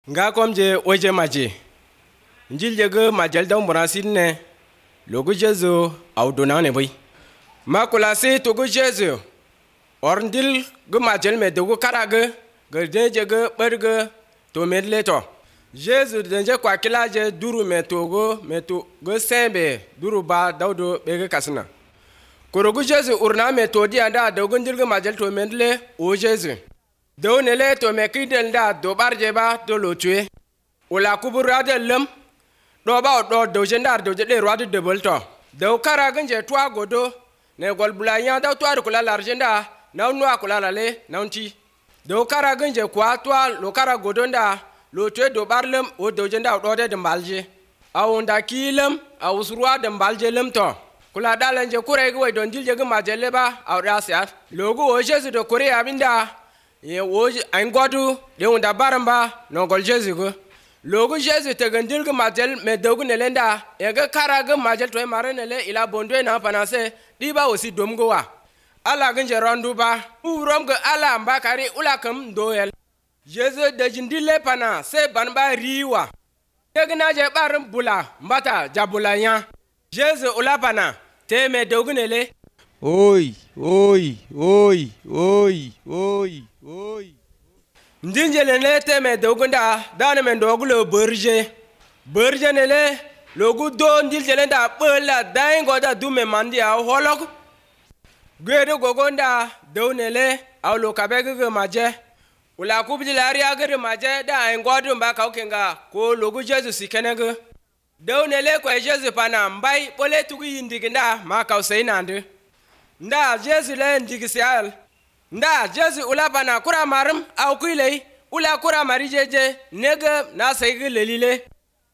Nga komje oje maje njilje ge majel da murasin ne logu jesu au dona ne bai makula se to go jesu orndil ge majel me dogo karage ge je ge berge to medle to jesu denje kwa kilaje duru me to go sembe duru ba dawdo be ge kasna korogu jesu urna me to dia da dogo njil ge majel to medle o jesu do nele to me kidel da do barje ba do lo tue ola kubura de lem do ba do jendar do de roi de bolto do kara ganje twa godo ne gol bulanya da to ar kula larjenda na no akula lale naunti do kara ganje kwa twa lo kara godo nda lo tue do barlem o do jenda do de mbalje awunda kilem awusruwa de mbalje lem to kula dalanje kure go don dilje ga majelle ba awrasiat logo o jesu do kure abinda ye wo an godu de unda baramba no gol jesu go logo jesu te gandil ga majel me dogu ne lenda e ga kara ga majel to mare ne le ila bondo na panase di ba osi dom go wa ala ga je rondu ba urom ga ala mbakari ula kam doyel jesu de jindile pana se ban ba riwa de na je baram bula mbata jabulanya jesu ula pana te me dogu ne le Oi. Ndinjele ne teme dogunda dana men dogulo berje nele logu do ndinjele da bela daingo da dume mandi a holok gwedo gogonda do nele aw lo kabege maje ula kubji lari agere maje da ngodu mba kaukenga ko logu jesu sikenege do nele ko jesu pana mbai bole tugu yindiginda ma kausainande nda jesu le ndigisial nda jesu ula bana kura marum au kuilei ula kura marijeje nega na saigi lelile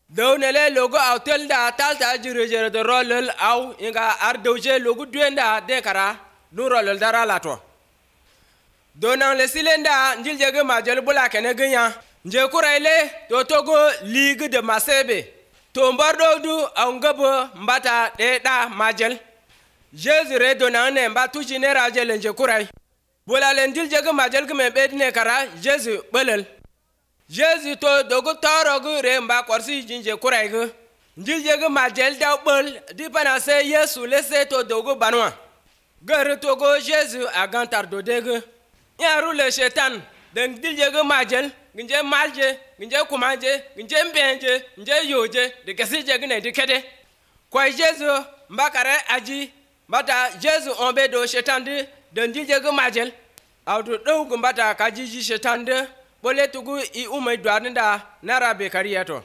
downele logo au telda talta jirejere de rolel au inga ardoje logo duenda dekara du rolel dara lato donan le silenda njiljege majel bula kene ganya nje kura ile to togo ligue de masebe to mbardo du au ngabo mbata de da majel jesu re donan ne mbatu jinera jele nje kurai bola lendil jege majel gme bedne kara jesu belel jesu to dogo torogu remba korsi jinje kuraigu ndil jege majel da bel dipana se yesu lese to dogo banwa gar to go jesu agantar do dege yaru le shetan den dil jege majel nje malje nje kumaje nje mbenje nje yoje de kesi jege ne dikede kwa jesu mbakare aji bata jesu ombe do shetan de ndije ga majel awdo do gumbata kajiji shetande bole tugu I umay dwarnda narabe kariyato